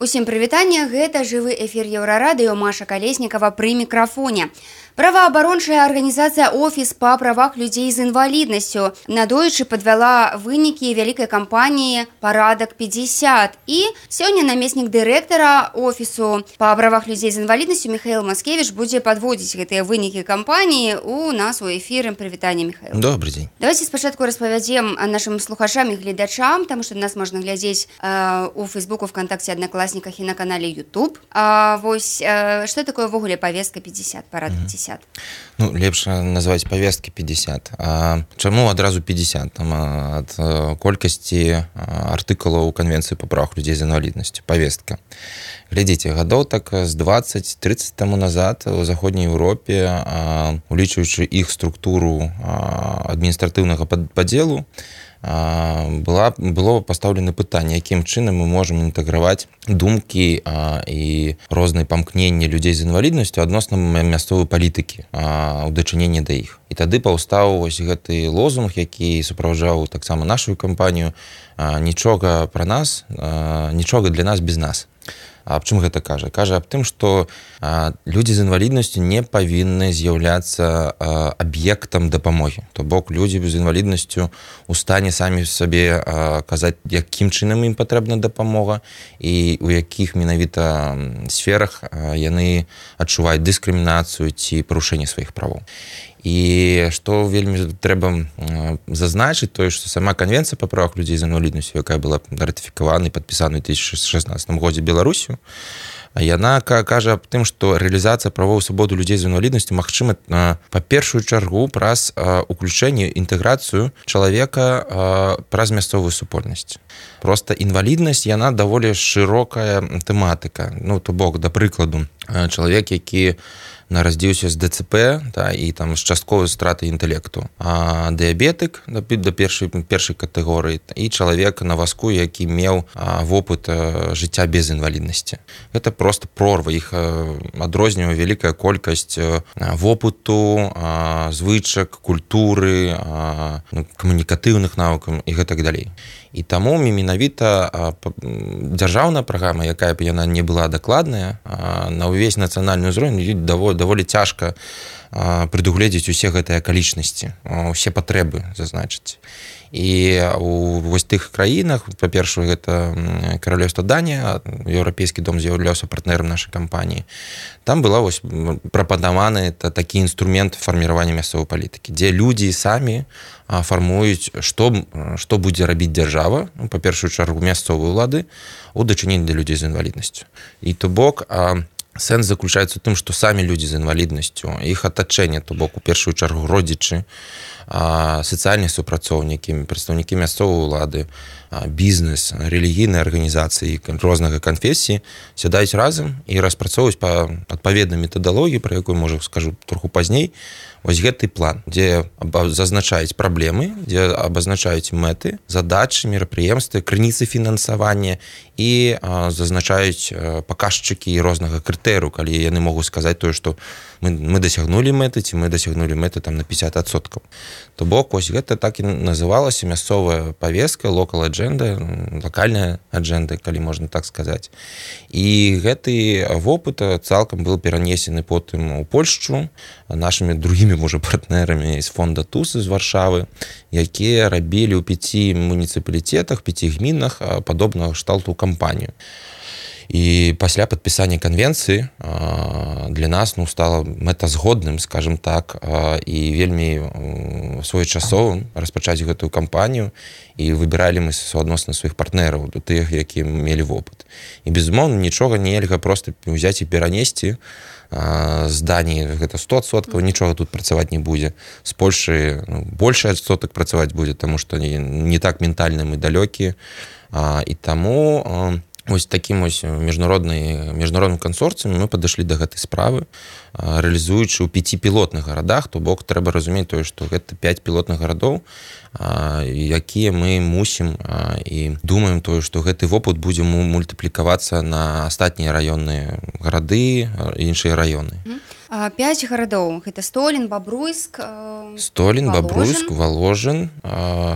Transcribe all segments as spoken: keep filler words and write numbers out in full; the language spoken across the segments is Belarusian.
Усім прывітанне, гэта жывы эфір Еўрарадыё, Маша Калеснікава пры мікрафоне. Праваабарончая арганізацыя «Офіс па правах людзей з інваліднасцю» надоечы падвяла вынікі вялікай кампаніі «Парадак пятьдесят». І сёння намеснік дырэктара «Офісу па правах людзей з інваліднасцю» Михаил Маскевич будзе падводзіць гэтыя вынікі кампаніі у нас у эфіры. Прывітанне, Михаил. Добрый дзень. Давайте спачатку распавядзем нашим слухачам і гледачам, таму што нас можна глядзець э, у Фейсбуку, ВКонтакте, Одноклассниках і на канале YouTube. А, вось, э, што такое ввогуле павестка пятьдесят, парад пятьдесят? Ну, лепш назваць павесткі пятьдесят. А чаму адразу пятьдесят? Там ад колькасці артыкулаў Канвенцыі па правах людзей з інваліднасцю. Павестка. Глядзіце, гадоў так з двадцать-тридцать таму назад у заходняй Еўропе, улічваючы іх структуру адміністратыўнага падзелу, была, было пастаўлена пытанне, якім чынам мы можам інтэграваць думкі а, і розныя памкненні людзей з інваліднасцю адносна мясцовай палітыкі у дачыненні да іх. І тады паўстаў вось гэты лозунг, які суправаджаў таксама нашу кампанію а, «Нічога пра нас, а, нічога для нас без нас». А аб чым гэта кажа? Кажа аб тым, што а, людзі з інваліднасцю не павінны з'яўляцца аб'ектам дапамогі. То бок людзі з інваліднасцю у стане самі сабе а, казаць, якім чынам ім патрэбна дапамога і у якіх менавіта сферах а, яны адчуваюць дыскрымінацыю ці парушэнне сваіх правоў. І што вельмі трэба зазначыць, тое, што сама Канвенцыя па правах людзей з інваліднасцю, якая была ратыфікавана і падпісана ў две тысячи шестнадцатым годзе Беларусю, яна кажа аб тым, што рэалізацыя правоў і свабоды людзей з інваліднасцю магчыма па першую чаргу праз уключэнне, інтэграцыю чалавека праз мясцовую супольнасць. Проста інваліднасць, яна даволі шырокая тэматыка. Ну, то бок, да прыкладу, чалавек, які нарадзіўся з ДЦП, да, і там з частковай стратай інтэлекту, а дыябетык да, да першай, першай катэгорыі і чалавек на вазку, які меў а, вопыт а, жыцця без інваліднасці. Гэта проста прорва, іх адрознівае вялікая колькасць а, вопыту, а, звычак, культуры, а, камунікатыўных навыкаў і гэтак далей. І таму менавіта дзяржаўная праграма, якая б яна не была дакладная, на ўвесь нацыянальны ўзровень даволі, даволі цяжка прадугледзець усе гэтыя акалічнасці, усе патрэбы зазначыць. І у вось тых краінах, па-першае, гэта Каралеўства Данія, Еўрапейскі дом з'яўляўся партнерам нашай кампаніі. Там была вось прапанаваны такі інструмент фарміравання мясцовай палітыкі, дзе людзі самі фармуюць, што, што будзе рабіць дзяржава, ну, па першую чаргу мясцовыя ўлады, у дачыненні да людзей з інваліднасцю. І то бок, сэнс заключаецца ў тым, што самі людзі з інваліднасцю, іх атачэнне, то бок, у першую чаргу родзічы, сацыяльныя супрацоўнікі, прадстаўнікі мясцовай улады, бізнес, рэлігійныя арганізацыі рознага канфесіі сядаюць разам і распрацоўваюць па адпаведнай метадалогіі, пра якую, можа, скажу троху пазней, вось гэты план, дзе зазначаюць праблемы, дзе абазначаюць мэты, задачы, мерапрыемствы, крыніцы фінансавання і а, зазначаюць паказчыкі рознага крытэрыю, калі яны могуць сказаць тое, што мы, мы дасягнулі мэты, ці мы дасягнулі мэты там на пятьдесят адсоткаў. То бок, вось гэта так і называлася мясцовая павестка, local agenda, локальная аджэнда, калі можна так сказаць. І гэты вопыт цалкам быў перанесены потым у Польшчу нашымі другімі, можа, партнерамі з фонда ТУС з Варшавы, якія рабілі ў пяці муніцыпалітетах, пяці гмінах падобнага кшталту кампанію. І пасля падпісання канвенцыі для нас, ну, стала мэтазгодным, скажем так, і вельмі своечасовым распачаць гэтую кампанію, і выбіралі мы суадносна сваіх партнераў, тых, якія мелі вопыт. І, безумоўна, нічога нельга проста ўзяць і перанесці з Даніі, гэта сто адсоткаў, нічога тут працаваць не будзе. З Польшы ну, большы адсотак працаваць будзе, таму што не, не так ментальна мы далёкія. І таму вось такім вось міжнародным кансорцыям мы падышлі да гэтай справы, рэалізуючы ў пяці пілотных гарадах, то бок трэба разумець тое, што гэта пяць пілотных гарадоў, якія мы мусім і думаем тое, што гэты вопыт будзе мультыплікавацца на астатнія раённыя гарады і іншыя раёны. пяць гарадоў гэта Столін, Бабруйск, Столін, Бабруйск, Воложин,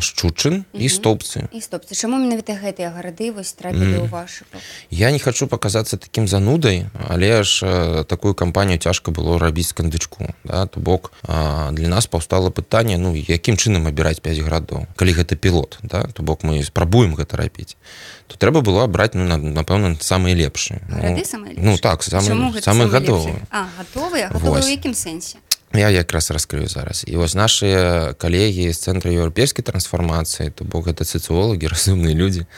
Шчучын і Стопцы. І Стопцы. Чаму менавіта гэтыя гарады вось трапілі ў вашы? Я не хочу показаться таким занудай, але ж такую кампанію цяжка было рабіць з кандычку. Да? То бок для нас паўстала пытанне, ну, якім чынам абіраць пяць гарадоў, калі гэта пілот, да? То бок мы спрабуем гэта рабіць. То трэба было абраць, ну, напэўна, самыя лепшыя. Гарады самыя лепшыя? Ну, так, самыя гатовыя. А, гатовыя? Гатовыя ў якім сэнсе? Я якраз раскрыю зараз. І вось нашыя калегі з Цэнтра еўрапейскай трансфармацыі, то бок гэта сацыолагі, разумныя людзі,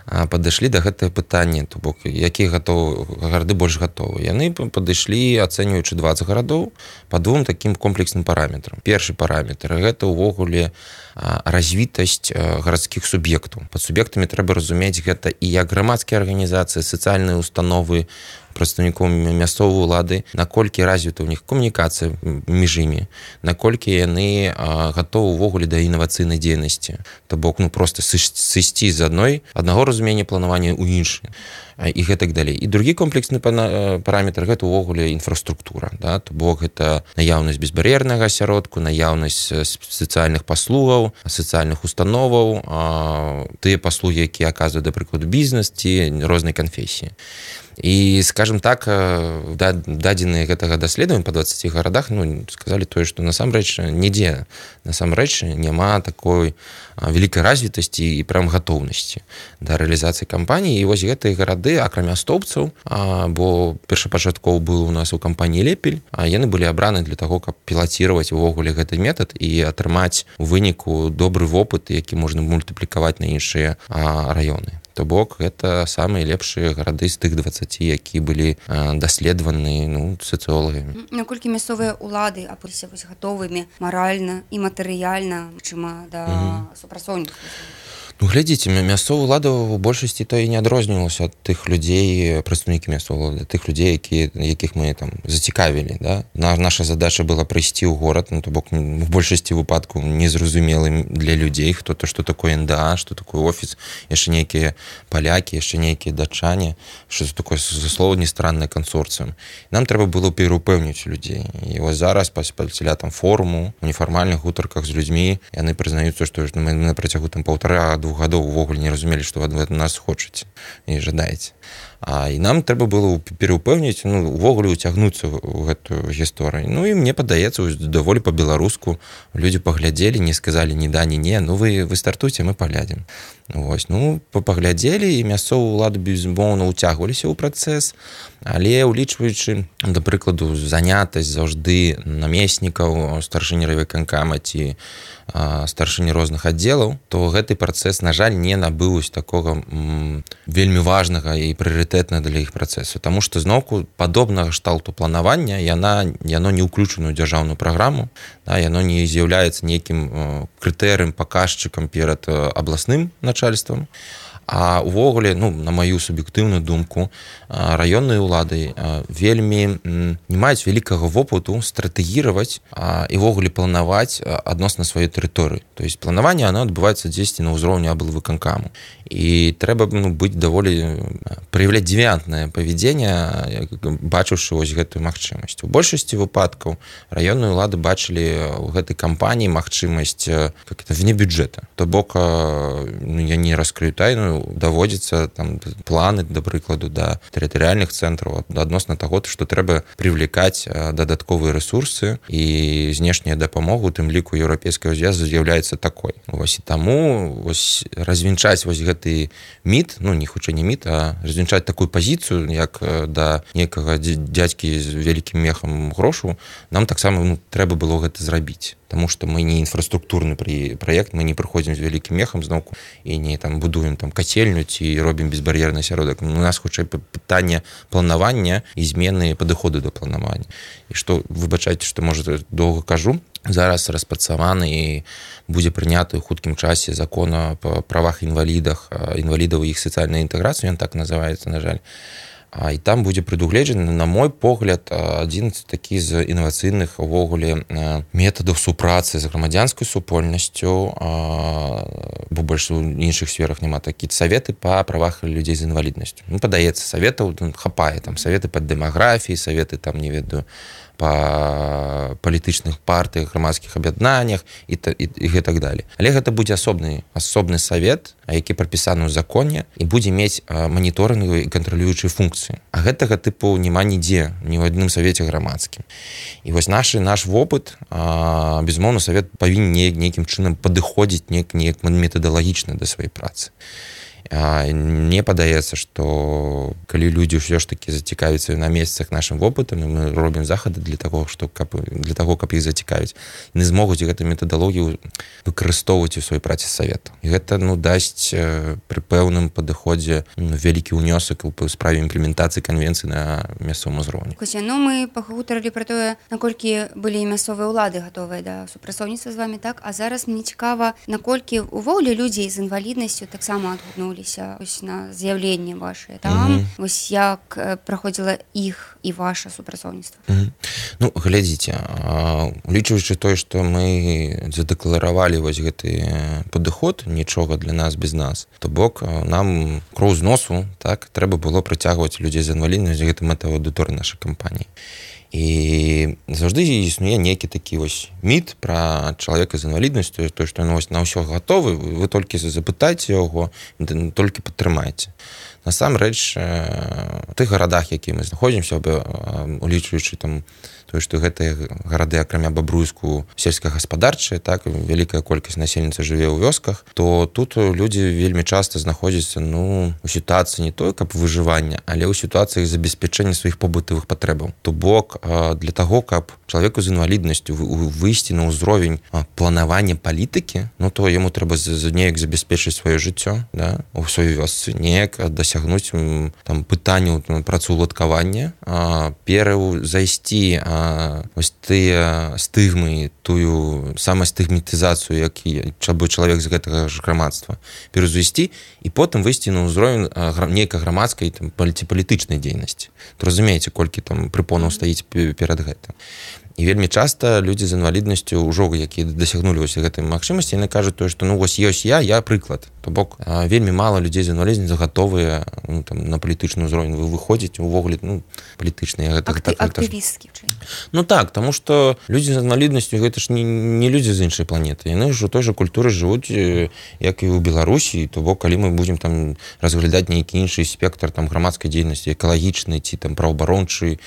падышлі да гэтае пытання, то бок якія гарады больш гатовы. Яны падышлі, ацэньваючы дваццаць гарадоў, па двум такім комплексным параметрам. Першы параметр – гэта ўвогуле развітасць гарадскіх суб'ектаў. Пад суб'ектамі трэба разумець гэта і як грамадскія арганізацыі, сацыяльныя установы, прадстаўнікоў мясцовай улады, наколькі развіта ў них камунікацыя між імі, наколькі яны гатовы ўвогуле да інавацыйнай дзейнасці. То бок, ну, проста сысці з адной, аднаго разумення планавання ў іншы. І гэтак далей. І другі комплексны параметр – гэта ўвогуле інфраструктура. Да? То бок, гэта наяўнасць безбар'ернага асяродку, наяўнасць сацыяльных паслугаў, сацыяльных установаў, тыя паслугі, якія аказваюць, да прыкладу, бізнес ці рознай канфесіі. І, скажем так, дадзеныя гэтага даследавання па дваццаці гарадах, ну, сказалі тое, што насамрэч нідзе, насамрэч няма такой вялікай развітасці і прям гатоўнасці да рэалізацыі кампаніі. І вось гэтыя гарады, акрамя Стопцаў, бо першапачаткова быў у нас у кампаніі Лепель, яны былі абраны для таго, каб пілаціраваць увогуле гэты метад і атрымаць у выніку добры вопыт, які можна мультыплікаваць на іншыя раёны. То бок, гэта самыя лепшыя гарады з тых дваццаці, які былі даследаваны, ну, сацыолагамі. Наколькі мясцовыя ўлады апыліся вось гатовымі маральна і матэрыяльна, чыма да супрацоўніцтва? Ну, глядзіце, мясцовая ўлада ў большасці то і не адрознівалася ад тых людзей, прадстаўнікі мясцовай ўлады, тых людзей, які, якіх мы там зацікавілі. Да? Наша задача была прыйсці ў горад, ну, то бок в большасці выпадку незразумелым для людзей, хто то, што такое эн дэ а, што такое офіс, яшчэ нейкія палякі, яшчэ нейкія датчане, што это такое, за слова, нестраннае кансорцыум. Нам трэба было пераўпэўніць людзей. І вось зараз пасля там форуму, у нефармальных гутарках з людзьмі, яны прызнаюцца, што мы на працягу там паўтара двух гадоў увогуле не разумелі, што вы ад нас хочаце і жадаеце. А, і нам трэба было пераўпэўніць, ну, увогуле уцягнуцца ў гэтую гісторыю. Ну, і мне падаецца, даволі па-беларуску людзі паглядзелі, не сказалі ні да, ні не, ну, вы, вы стартуйце, мы паглядзім. Вось, ну, паглядзелі, і мясцовую ўладу, безумоўна, уцягваліся ў працэс, але улічваючы, да прыкладу, занятасць заўжды намеснікаў, старшыні райвыканкама ці старшыні розных аддзелаў, то гэты працэс, на жаль, не набыў такога м, вельмі важнага і прыярытэтна для іх працэсу, таму што зноўку падобнага шталту планавання яна, яно не ўключана ў дзяржаўную праграму, да, яно не з'яўляецца нейкім крытэрыем, паказчыкам перад абласным начальствам. А увогуле, ну, на маю суб'ектыўную думку, раённыя ўлады вельмі не маюць вялікага вопыту стратэгіраваць і увогуле планаваць адносна сваёй тэрыторыі. То есть планаванне, оно адбываецца дзесьці на ўзроўні аблвыканкаму. І трэба, ну, быць даволі праяўляць дзевіянтнае павядзенне, бачыўшы вось гэтую магчымасць. У большасці выпадкаў раённыя ўлады бачылі ў гэтай кампаніі магчымасць как это вне бюджэта. То бок, ну, я не раскрыю тайну, даводзіцца там планы, да прыкладу, да тэрытарыяльных цэнтраў адносна таго, што трэба прывлекаць дадатковыя рэсурсы, і знешняя дапамога, у тым ліку еўрапейскага звязу, з'яўляецца такой. Вось і таму вось развінчаць вось гэты міт, ну, не хутчэй не міт, а развінчаць такую пазіцыю, як да некага дзядзькі з вялікім мехам грошу, нам таксама, ну, трэба было гэта зрабіць. Таму што мы не інфраструктурны праект, мы не прыходзім з вялікім мехам зноўку і не там будуем там кацельню ці робім безбар'ерны асяродак. У нас хутчэй пытанне планавання і змены падыходу да планавання. І што, выбачайце, што, можа, доўга кажу, зараз распрацаваны і будзе прыняты ў хуткім часе закон па правах інвалідах, інвалідаў і іх сацыяльнай інтэграцыі, ён так называецца, на жаль. І там будзе прадугледжаны, на мой погляд, адзін такі з інавацыйных увогуле метадаў супрацы з грамадзянскай супольнасцю, бо больш у іншых сферах няма такі саветы па правах людзей з інваліднасцю. Ну, падаецца, саветаў хапае, там саветы па дэмаграфіі, саветы там, не ведаю, па палітычных партыях, грамадскіх аб'яднаннях і, і, і гэтак далее. Але гэта будзе асобны асобны савет, які прапісаны ў законе і будзе мець маніторынгавыя і кантралюючыя функцыі. А гэтага тыпу няма нідзе, ні ў адным савеце грамадскім. І вось наш, наш вопыт, безумоўна, савет павінен нейкім чынам падыходзіць неяк, неяк метадалагічна да сваёй працы. Мне падаецца, што калі людзі ўсё ж такі зацікавяцца на месцах нашым вопытам, мы робім захады для таго, што каб, для таго, каб іх зацікавіць, яны змогуць гэту метадалогію выкарыстоўваць у сваёй працы савету. І гэта ну, дасць пры пэўным падыходзе ну, вялікі ўнёсак у справе імплементацыі канвенцыі на мясцовым узроўні. Кося, ну мы пагутарылі пра тое, наколькі былі мясцовыя ўлады гатовыя да супрацоўніцтва з вамі, так? А зараз мне цікава, наколькі увогуле людзей з інваліднасцю таксама адгукнулі ось на з'яўленне вашае там, mm-hmm. ось як праходзіла іх і ваша супрацоўніцтва. Mm-hmm. Ну, глядзіце, улічваючы тое, што мы задэкларавалі вось гэты падыход, нічога для нас без нас, то бок нам кроў з носу, так, трэба было прыцягваць людзей з інваліднасцю, гэта мэта аўдыторыі нашай кампаніі. І заўжды існуе нейкі такі вось міт пра чалавека з інваліднасцю, то, што ну, на ўсё гатовы, вы толькі запытайце яго, толькі падтрымайце. Насамрэч, у тых гарадах, які мы знаходзімся, улічваючы там тое, што гэтыя гарады, акрамя Бабруйску, сельскагаспадарчыя, так, вялікая колькасць насельніцтва жыве ў вёсках, то тут людзі вельмі часта знаходзяцца ну, у сітуацыі не той, каб выжывання, але ў сітуацыях забеспячэння сваіх побытавых патрэбаў. То бок, для таго, каб чалавеку з інваліднасцю выйсці на ўзровень планавання палітыкі, ну, то яму трэба неяк забяспечыць сваё жыццё, да, у сваёй вёсцы, неяк дасягнуць там, пытанняў працаўладкавання, пераўзайсці ось тыя стыгмы, тую самастыгматызацыю, які чалавек з гэтага ж грамадства пераўзвесці і потым выйсці на ўзровень нейкай грамадскай там, палітычнай дзейнасці. То разумееце, колькі там прыпонаў стаіць перад гэтым. І вельмі часта людзі з інваліднасцю ўжо, якія дасягнулі вось гэтай магчымасці, яны кажуць тое, што ну вось ёсць я, я прыклад. То бок вельмі мала людзей з інваліднасцю гатовыя ну, там, на палітычны ўзровень выходзіць увогуле ну, палітычныя гэта, Акты, так, актывісткі. Ну так, таму што людзі з інваліднасцю гэта ж не, не людзі з іншай планеты. Яны ж у той жа культуры жывуць, як і ў Беларусі, то бок калі мы будзем там разглядаць нейкі іншы спектр там грамадскай дзейнасці, экалагічнай ці там праваабарончай,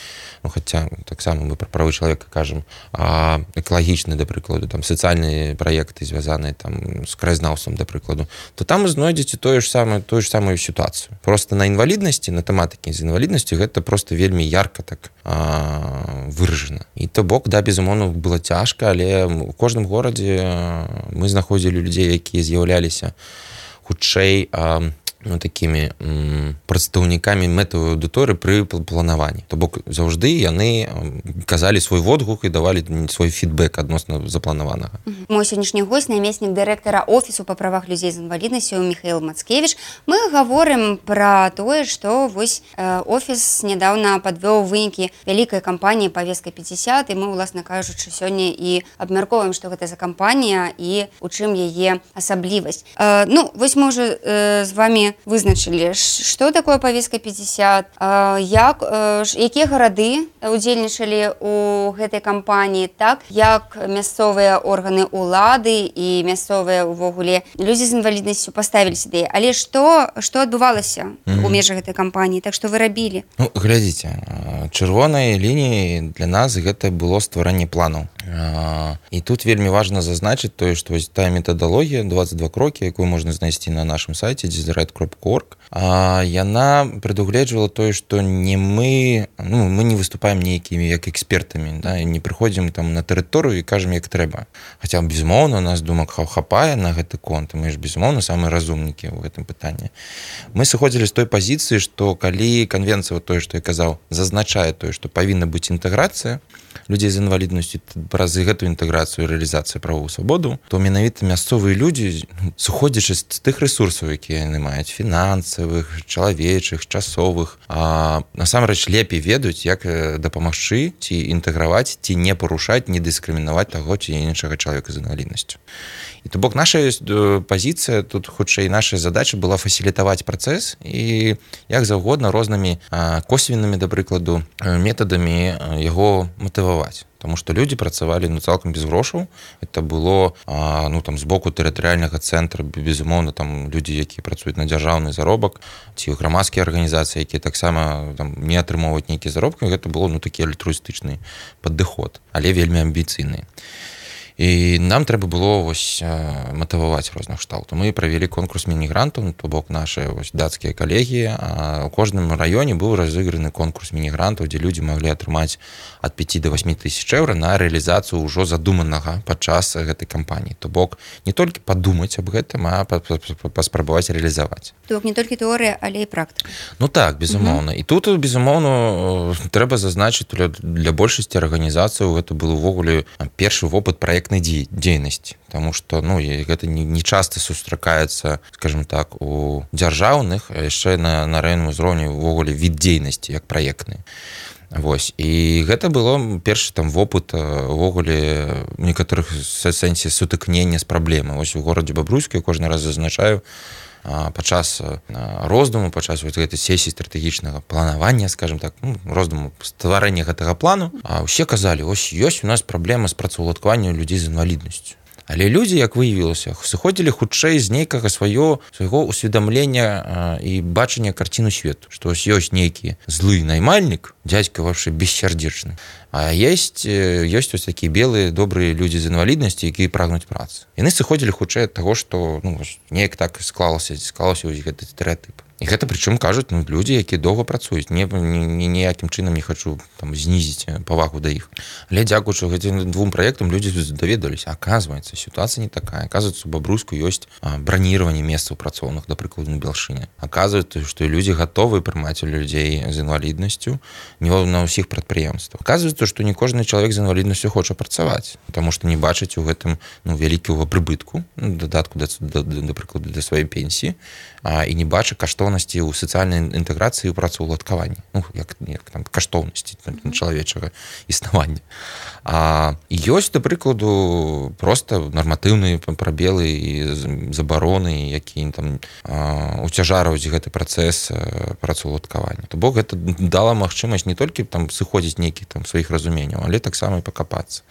ну хаця таксама мы пра правы чалавека кажам, а экалагічны, да прыкладу, там сацыяльныя праекты звязаныя там з краязнаўствам, да прыкладу, то там вы знойдзеце тое ж самае, тую ж самую сітуацыю. Просто на інваліднасці, на тэматыкі з інваліднасцю гэта просто вельмі ярка так а, выражана. І то бок, да, безумоўна, было цяжка, але у кожным горадзе мы знаходзілі людзей, якія з'яўляліся хутчэй а, ну, такімі м, прадстаўнікамі мэтавай аўдыторыі пры планаванні. То бок заўжды яны казалі свой водгук і давалі свой фідбэк адносна запланаванага. Мой сённяшні госць, намеснік дырэктара офісу па правах людзей з інваліднасцю Міхаіл Мацкевіч. Мы гаворым пра тое, што вось э, офіс нядаўна падвёў вынікі вялікай кампаніі «Павестка пятьдесят», і мы, уласна кажучы, сёння і абмяркоўваем, што гэта за кампанія і у чым яе асаблівасць. Э, ну, вось мы ўжо э, з вамі вызначылі, што такое «Павестка пятьдесят», як, якія гарады удзельнічалі ў гэтай кампаніі, так, як мясцовыя органы ўлады і мясцовыя ўвогуле людзі з інваліднасцю паставіліся да яе. Але што, што адбывалася mm-hmm. у межах гэтай кампаніі, так што вы рабілі? Ну, глядзіце, чырвонай лініяй для нас гэта было стварэнне планаў. І тут вельмі важна зазначыць тое, што вось тая метадалогія двадцать два крокі, якую можна знайсці на нашым сайце дезерайт крапка орг, яна прадугледжвала тое, што не мы, ну, мы не выступаем нейкімі як экспертамі, да, не прыходзім там на тэрыторыю і кажам, як трэба. Хаця, безумоўна, у нас думак хапае на гэты конт, мы ж, безумоўна, самыя разумнікі ў гэтым пытанні. Мы сыходзілі з той пазіцыі, што калі канвенцыя, тое, што я казаў, зазначае тое, што павінна быць інтэграцыя людзей з інваліднасцю праз гэтую інтэграцыю і рэалізацыю правоў свабоду, то менавіта мясцовыя людзі, сыходзячы з тых рэсурсаў, якія яны маюць, фінансавых, чалавечых, часовых, а насамрэч лепей ведаюць, як дапамагчы ці інтэграваць, ці не парушаць, не дыскрымінаваць таго ці іншага чалавека з інваліднасцю. І то бок наша пазіцыя, тут хутчэй наша задача была фасілітаваць працэс і як заўгодна рознымі косвеннымі, да прыкладу, метадамі яго матываваць. матываваць. Потому что люди працавалі ну цалкам без грошаў. Это было а, ну там з боку тэрытарыяльнага цэнтра, безумоўна, там людзі, якія працуюць на дзяржаўны заробак, ці грамадскія арганізацыі, якія таксама там не атрымоўваюць нейкія заробкі. Гэта было ну такі альтруістычны падыход, але вельмі амбіцыйны. І нам трэба было вось матываваць розных кшталтаў. Мы правялі конкурс міні-грантаў, то бок нашыя вось дацкія калегі. А ў кожным раёне быў разыграны конкурс міні-грантаў, дзе людзі маглі атрымаць ад пяці да васьмі тысяч еўра на рэалізацыю ўжо задуманага падчас гэтай кампаніі. То бок не толькі падумаць аб гэтым, а паспрабаваць рэалізаваць. То бок не толькі тэорыя, але і практыка. Ну так, безумоўна. І тут, безумоўна, трэба зазначыць, для большасці арганізацыяў гэта был увогуле першы вопыт праект дзейнасці, потому что ну гэта не, не часто сустракаецца, скажем так, у дзяржаўных, а яшчэ на, на раённым узроўні увогуле від дзейнасці як праектны. Вось. І гэта было першы там вопыт увогуле у некаторых сэнсе сутыкнення з праблемай. Вось у горадзе Бабруйску я кожны раз зазначаю, падчас роздуму, падчас гэтай сесіі стратэгічнага планавання, скажем так, ну, роздуму стварэння гэтага плану, а ўсе казалі, ось ёсць у нас праблема з працаўладкаваннем людзей з інваліднасцю. Але людзі, як выявілася, сыходзілі хутчэй з нейкага сваё свайго усведамлення і бачання карціну свету, што ось ёсць нейкі злы наймальнік, дзядзька вообще бессердечны, а есть ёсць ось такія белыя добрыя людзі з інваліднасцю, якія прагнуць працы. Яны сыходзілі хутчэй ад таго, што ну неяк так склалася, склалася вось гэты стэрэатып. І гэта прычым кажуць ну, людзі, якія доўга працуюць. Не, не, ніякім чынам не хачу там, знізіць павагу да іх. Але дзякуючы гэтым двум праектам людзі даведаліся. Аказваецца, сітуацыя не такая. Аказваецца, у Бабруйску ёсць браніраванне месцаў працоўных, да прыкладу, на Белшыне. Аказваецца, што людзі гатовы прымаць людзей з інваліднасцю не на ўсіх прадпрыемствах. Аказваецца, што не кожны чалавек з інваліднасцю хоча працаваць, таму што не бачыць у гэтым ну, вялікага прыбытку, дадатку, да, да, да прыкладу, да сваёй пенсіі, а, і не бачыць каштоўнасці ў сацыяльнай інтэграцыі ў працаўладкаванні, ну, як, як там каштоўнасці чалавечага існавання. А ёсць, да прыкладу, проста нарматыўныя прабелы і забароны, якія там уцяжараюць гэты працэс працаўладкавання. То бок гэта дала магчымасць не толькі там сыходзіць нейкіх там сваіх разуменняў, але таксама і пакапацца.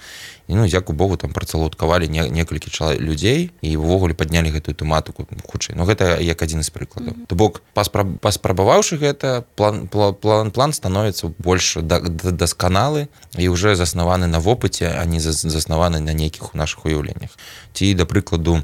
І, ну, дзякуй Богу, там працаўладкавалі не, некалькі чалавек людзей і ўвогуле паднялі гэтую тэматыку хутчэй. Ну, гэта як адзін з прыкладаў. Mm-hmm. То бок, паспраб, паспрабаваўшы гэта, план, план, план становіцца больш да, да, дасканалы і ўжо заснаваны на вопыце, а не заснаваны на нейкіх у нашых уяўленнях. Ці, да прыкладу,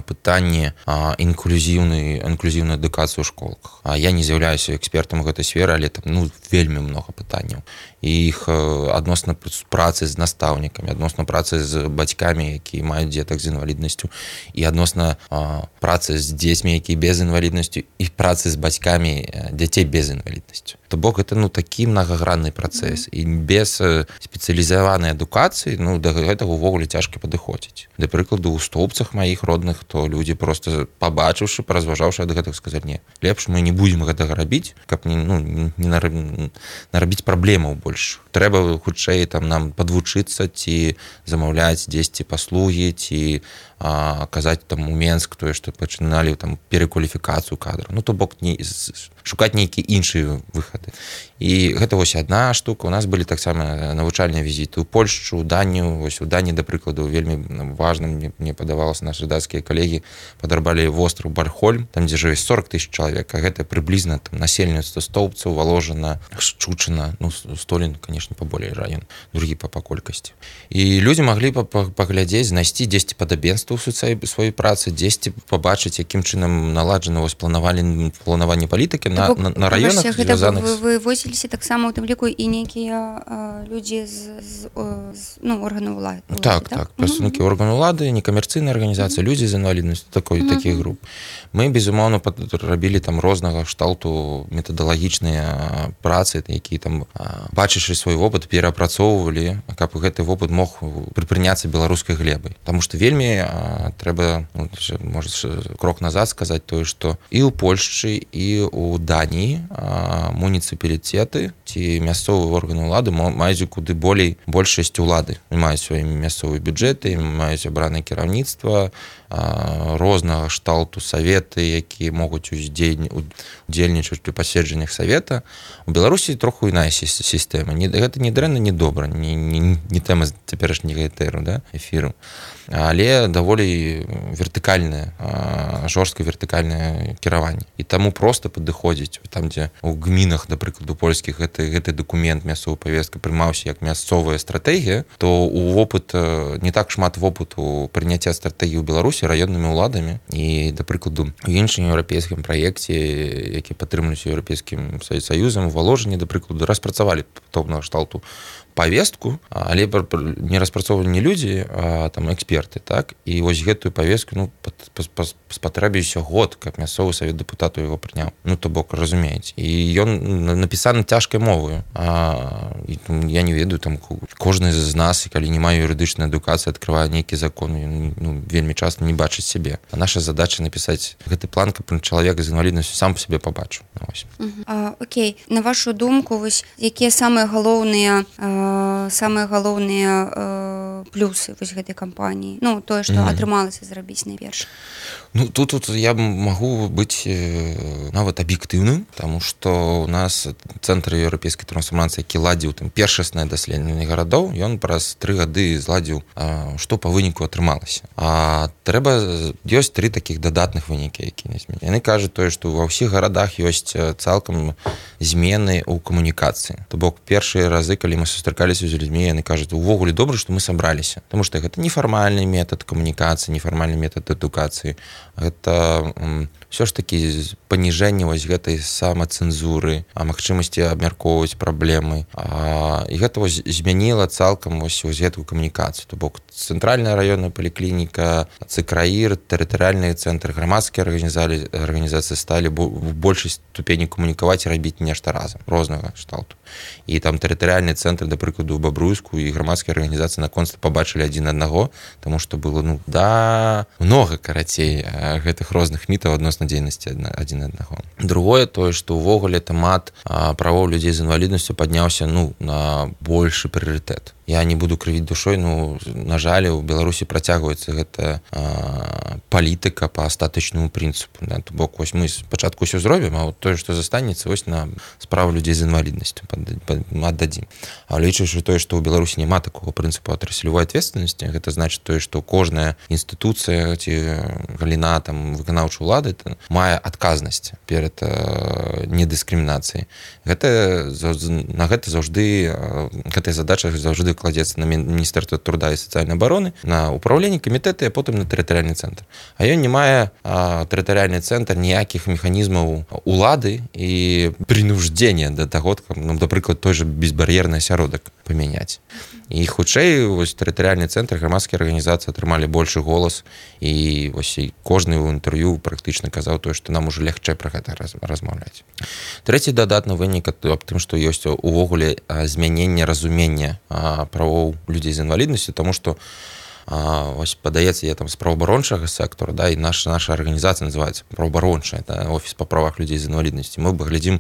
пытанне інклюзіўнай інклюзіўнай адукацыі ў школах. Я не з'яўляюся экспертам гэтай сферы, але там ну, вельмі многа пытанняў. І іх адносна працы з настаўнікамі, адносна працы з бацькамі, якія маюць дзетак з інваліднасцю, і адносна а, працы з дзецьмі, якія без інваліднасцю, і працы з бацькамі дзяцей без інваліднасцю. То бок гэта ну, такі многагранны працэс. І без спецыялізаванай адукацыі ну, да гэтага ўвогуле цяжка падыходзіць. Да прыкладу, у Стоўбцах маіх родных, то людзі проста пабачыўшы, паразважаўшы ад гэтага сказаць, не, лепш мы не будзем гэтага рабіць, каб не, ну, не нарабіць праблемаў больш. Трэба хутчэй там нам падвучыцца ці замаўляць дзесьці паслугі, ці а, казаць там у Менск, тое, што пачыналі там перакваліфікацыю кадраў. Ну, то бок не, шукаць нейкія іншыя выхады. І гэта вось адна штука. У нас былі таксама навучальныя візіты ў Польшчу, ў Данію. Вось у Даніі, да прыкладу, вельмі важным мне, мне падавалася, нашы дацкія калегі падарбалі востраў Бархольм, там, дзе жыве сорок тысяч чалавек, а гэта прыблізна там насельніцтва Стоўбцаў, Валожына, Шчучына, ну, Столін, конечно, паболей район, другі па, па колькасці. І людзі маглі паглядзець, знайсці дзесьці падабенства ў сваёй працы, дзесьці пабачыць, якім чынам наладжана вось планаванне, планаванне палітыкі на, на, на раёнах звязаных. Вы вывозіліся таксама у тым ліку і нейкія людзі з, з, з ну, органаў улады. Так, так, прадстаўнікі mm-hmm. органаў улады, некамерцыйныя арганізацыі, mm-hmm. людзі з інваліднасцю, такой, mm-hmm. такіх груп. Мы, безумоўна, рабілі там рознага кшталту метадалагічныя працы, якія там, бачачы свой вопыт, перапрацоўвалі, каб гэты вопыт мог прыпрыняцца беларускай глебай. Таму што вельмі а, трэба, ну, можа, крок назад сказаць тое, што і ў Польшчы, і ў Даніі а, муніцыпалітэт муніцыпалітэты ці мясцовыя органы ўлады маюць куды болей большасць улады, маюць свае мясцовыя бюджэты, маюць абранае кіраўніцтва, рознага шталту саветы, якія могуць удзельнічаць у паседжаннях савета. У Беларусі троху іная сістэма. Гэта не дрэнна, не добра, не, не, не тэма цяперашняга этэру, да, эфіру, але даволі вертыкальнае, жорстка вертыкальнае кіраванне. І таму проста падыходзіць там, дзе у гмінах, да прыкладу польскіх, гэты, гэты дакумент мясцовая павестка прымаўся як мясцовая стратэгія, то у вопыт не так шмат вопыту прыняцця стратэгіі ў Беларусі раённымі ўладамі. І, да прыкладу, у іншым еўрапейскім праекце, які падтрымліваюць еўрапейскім саюзам, у Валожыні, да прыкладу, распрацавалі падобнага шталту павестку, але не распрацоўвалі не людзі, а там эксперты, так? І вось гэтую павестку, ну, спатрэбіўся год, каб мясцовы савет дэпутатаў яго прыняў. Ну, то бок, разумееце. І ён напісаны цяжкай моваю. А, і, я не ведаю, там кожны з нас, калі не мае юрыдычнай адукацыі, адкрывае нейкі закон, ну, вельмі часта не бачыць сябе. А наша задача напісаць гэты план, каб чалавек з інваліднасцю сам па сябе пабачыў. А, окей. На вашу думку, вось, якія самыя галоўныя самыя галоўныя э, плюсы вось гэтай кампаніі, ну тое, што mm-hmm. атрымалася зрабіць найперш? Ну тут, тут я магу быць э, нават аб'ектыўным, таму што у нас цэнтр еўрапейскай трансфармацыі, які ладзіў там першаснае даследаванне гарадоў, ён праз тры гады зладзіў, э, што па выніку атрымалася. А трэба ёсць тры такіх дадатных вынікі, які не зменяць. Яны кажуць тое, што ва ўсіх гарадах ёсць цалкам змены ў камунікацыі. То бок першыя разы, калі мы сустракаліся з людзьмі, яны кажуць, увогуле добра, што мы сабраліся, таму што гэта нефармальны метад камунікацыі, нефармальны метад адукацыі. Гэта ўсё ж такі паніжэнне вось гэтай самацэнзуры, а магчымасці абмяркоўваць праблемы. А, і гэта вось змяніла цалкам вось, вось гэтую камунікацыю. То бок цэнтральная раённая паліклініка, цэкраір, тэрытарыяльныя цэнтры, грамадскія арганізацыі, арганізацыі сталі в большай ступені камунікаваць і рабіць нешта разам, рознага шталту. І там тэрытарыяльныя цэнтры, да прыкладу, у Бабруйску і грамадскія арганізацыі наконца пабачылі адзін аднаго, таму што было, ну, да, многа, карацей, гэтых розных мітаў адносна дзейнасці адзін аднаго. Другое, тое, што ўвогуле тэмат правоў людзей з інваліднасцю падняўся, ну, на большы прыярытэт. Я не буду крывіць душой, ну, на жаль, у Беларусі працягваецца гэта а, палітыка па астатычнаму прынцыпу. Да? То бок, вось мы спачатку ўсё зробім, а вот тое, што застанецца, вось на справу людзей з інваліднасцю аддадзім. А лічачы тое, што ў Беларусі няма такого прынцыпу отраслевой ответственности, гэта значыць тое, што кожная інстытуцыя ці галіна там выканаўчай улады мае адказнасць перад а, недыскрымінацыяй. Гэта на гэта заўжды гэтая задача заўжды кладзецца на Міністэрства труда і сацыяльнай абароны, на ўпраўленне камітэты, а потым на тэрытарыяльны цэнтр. А ён не мае а, тэрытарыяльны цэнтр ніякіх механізмаў улады і прынуждзення да таго, ну, напрыклад, той же безбар'ерны асяродак памяняць. І хутчэй вось тэрытарыяльны цэнтр, грамадскія арганізацыі атрымалі большы голас, і вось і кожны ў інтэрв'ю практычна казаў тое, што нам ужо лягчэй пра гэта раз, размаўляць. Трэці дадатны вынік аб тым, што ёсць увогуле змяненне разумення правоў людзей з інваліднасцю, таму што А, ось, падаецца, я там з праваабарончага сектора, да, і наша, наша арганізацыя называецца праваабарончая, да, офіс па правах людзей з інваліднасцю. Мы глядзім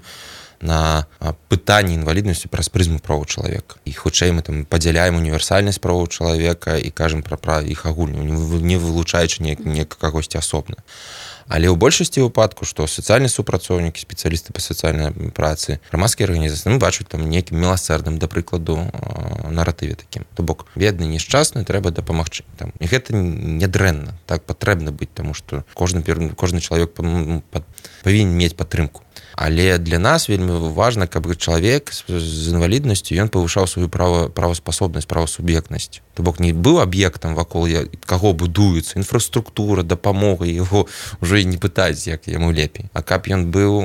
на пытанні інваліднасці праз прызму правоў чалавека. І хутчэй мы там падзяляем універсальнасць правоў чалавека і кажам пра права іх агульную, не вылучаючы неяк кагосьці асобна. Але ў большасці выпадку, што сацыяльныя супрацоўнікі, спецыялісты па сацыяльнай працы, грамадскія арганізацыі, мы бачым там нейкім міласэрным, да прыкладу, наратыве такім. То бок, бедны, нешчасны, трэба дапамагчы. Там. І гэта не дрэнна, так патрэбна быць, таму што кожны, кожны чалавек павінен мець падтрымку. Але для нас вельмі важна, каб чалавек з інваліднасцю, ён павышаў сваю права, праваспасобнасць, правасуб'ектнасць. То бок не быў аб'ектам, вакол каго будуецца інфраструктура, дапамога, яго ўжо і не пытаць, як яму лепей. А каб ён быў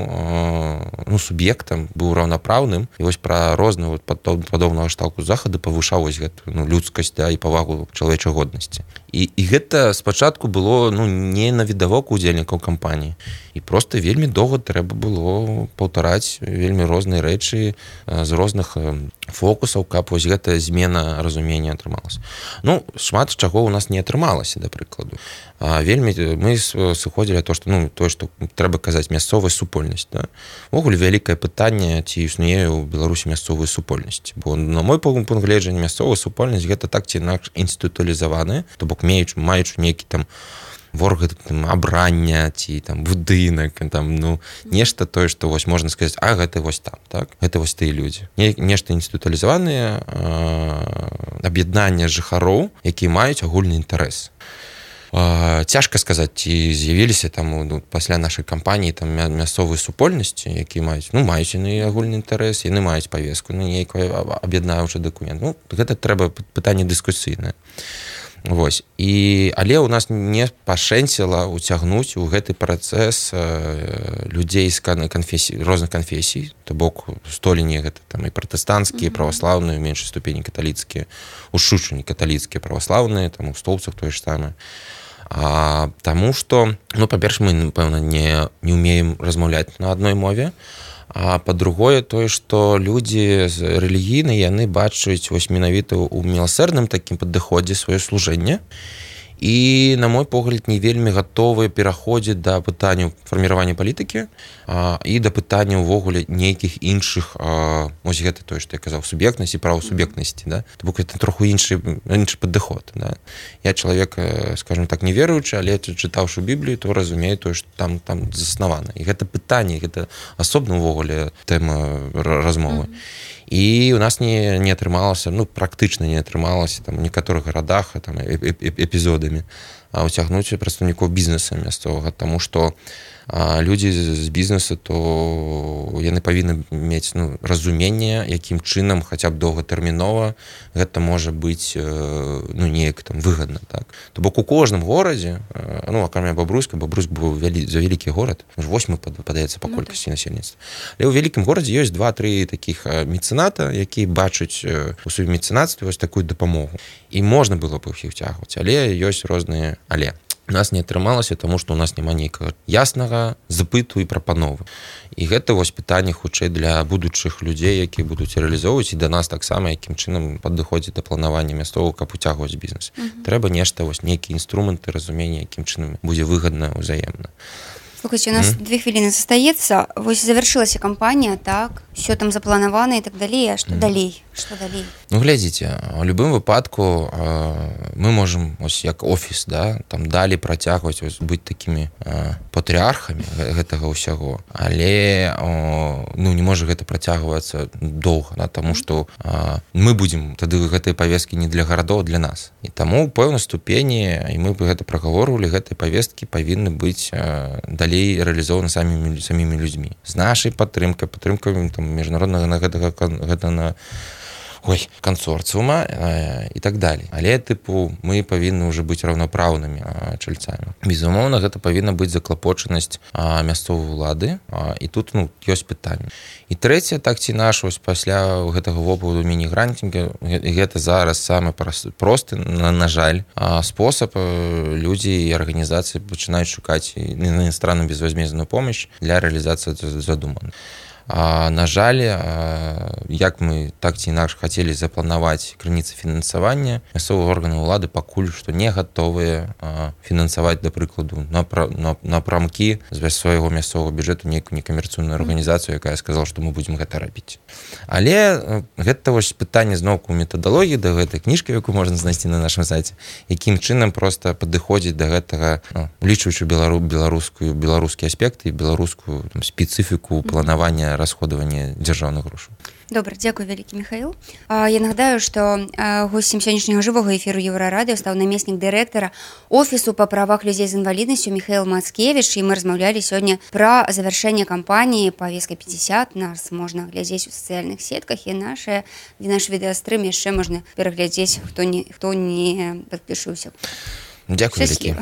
ну, суб'ектам, быў раўнапраўным, і вось пра розныя вот, падобнага шталку захаду павышаў вось гэту ну, людскасць да, і павагу чалавечай годнасці. І, і гэта спачатку было ну, не на відавок удзельнікаў кампаніі. І проста вельмі доўга трэба было паўтараць вельмі розныя рэчы з розных фокусаў, каб вось гэтая змена разумення атрымалася. Ну, шмат чаго ў нас не атрымалася, да прыкладу. Вельмі мы сыходзілі то, што ну, тое, што трэба казаць мясцовая супольнасць. Да? Увогуле вялікае пытанне, ці існуе ў Беларусі мясцовая супольнасць. Бо на мой пункт гледжання мясцовая супольнасць гэта так ці інакш інстытуалізаваная, то бок маючы, маючы нейкі там ворг там, абрання ці там будынак там ну нешта тое што вось можна сказаць а гэта вось там так гэта вось тыя людзі не, нешта інстытуалізаваныя аб'яднання жыхароў якія маюць агульны інтарэс. Цяжка сказаць ці з'явіліся там ну, пасля нашай кампаніі там мясцовыя супольнасці якія маюць ну маюць яны агульны інтарэс яны маюць павестку ну нейкая аб'яднаўчы дакумент ну гэта трэба пытанне дыскусійнае. Вось. І, але ў нас не пашэнціла уцягнуць у гэты працэс э, людзей з канфесій, розных канфесій, то бок століні гэта там і пратэстанцкія, праваслаўныя, у меншай ступені каталіцкія, у шушыні каталіцкія, праваслаўныя, там у столбцах тое ж самае. А, таму што, ну, па-перш, мы, напэўна, не, не ўмеем размаўляць на адной мове, а па-другое тое, што людзі рэлігійныя, яны бачаць вось менавіта ў міласэрным такім падыходзе сваё служэнне і, на мой погляд, не вельмі гатовыя пераходзіць да пытанняў фарміравання палітыкі а, і да пытання ўвогуле нейкіх іншых а, ось гэта тое, што я казаў, суб'ектнасці, правасуб'ектнасці, да? То бок гэта троху іншы, іншы падыход. Да? Я чалавек, скажем так, не веруючы, але чытаўшы Біблію, то разумею тое, што там, там заснавана. І гэта пытанне, гэта асобна ўвогуле тэма размовы. Mm-hmm. І у нас не, не атрымалася, ну, практычна не атрымалася там, у некаторых гарадах там, эпізодамі уцягнуць прадстаўнікоў бізнеса мясцовага, таму што а, людзі з бізнесу, то яны павінны мець ну, разуменне, якім чынам хаця б доўгатэрмінова гэта можа быць ну, неяк там выгадна. Так? То бок у кожным горадзе, ну, акрамя Бабруйска, Бабруйск быў вялі, за вялікі горад, восьмы падаецца па колькасці насельніцтва. Але ў вялікім горадзе ёсць два-тры такіх мецэната, якія бачаць у сваім мецэнацтве вось такую дапамогу. І можна было б іх уцягваць, але ёсць розныя але. У нас не атрымалася, таму што ў нас няма нейкага яснага запыту і прапановы. І гэта вось пытанне хутчэй для будучых людзей, якія будуць рэалізоўваць і да нас таксама, якім чынам падыходзіць да планавання мясцовага, каб уцягваць бізнес. Uh-huh. Трэба нешта, вось нейкія інструменты, разумення, якім чынам будзе выгадна, ўзаемна. Слухайте, у нас mm. две хвилины застаецца. Вось завяршылася кампанія, так, все там запланавана і так далей, а што mm. далей? Што далей? Ну, глядзіце, у любым выпадку э, мы можам, ось як офіс, да, там далі працягваць ось, быць такімі э, патрыархамі гэтага ўсяго, але э, ну, не можа гэта працягвацца доўга, да, таму што э, мы будзем, тады гэтыя павесткі не для гарадоў, а для нас. І таму ў пэўнай ступені, і мы бы гэта прагаворвалі, гэтыя павесткі павінны быць э, далей рэалізованы самімі, самімі людзьмі. З нашай падтрымкай, падтрымкай там, міжнароднага гэтага, гэта на ой, кансорцыума э, і так далей. Але, тыпу, мы павінны ўжо быць раўнапраўнымі э, чальцамі. Безумоўна, гэта павінна быць заклапочанасць э, мясцовай улады, э, і тут, ну, ёсць пытанне. І трэцяе, так ці наш, вось пасля гэтага вопыту міні-гранцінга, гэта зараз самы просты, на, на жаль, э, спосаб э, людзі і арганізацыі пачынаюць шукаць на іностранную безвозмездную помощь для рэалізацыі задуманых. А, на жаль, як мы так ці інакш хацелі запланаваць крыніцы фінансавання, мясцовыя органы ўлады пакуль што не гатовыя фінансаваць, да прыкладу, напрамкі з свайго мясцовага бюджэту нейкую некамерцыйную арганізацыю, якая сказала, што мы будзем гэта рабіць. Але гэта вось пытанне зноўку метадалогіі да гэтай кніжкі, якую можна знайсці на нашым сайце, якім чынам проста падыходзіць да гэтага, ну, улічваючы белару, беларускую, беларускі аспект і беларускую там, спецыфіку планавання расходавання дзяржаўных грошаў. Добра, дзякуй вялікі, Михаил. Я нагадаю, што госцем сённяшняга жывога эфіру Еўрарадыё стаў намеснік дырэктара офісу па правах людзей з інваліднасцю Михаил Мацкевіч, і мы размаўлялі сёння пра завяршэнне кампаніі «Повестка пятьдесят». Нас можна глядзець у сацыяльных сетках, і нашы, наш відэастрым яшчэ можна пераглядзець, хто не, хто не падпішыўся. Дзякуй вялікі.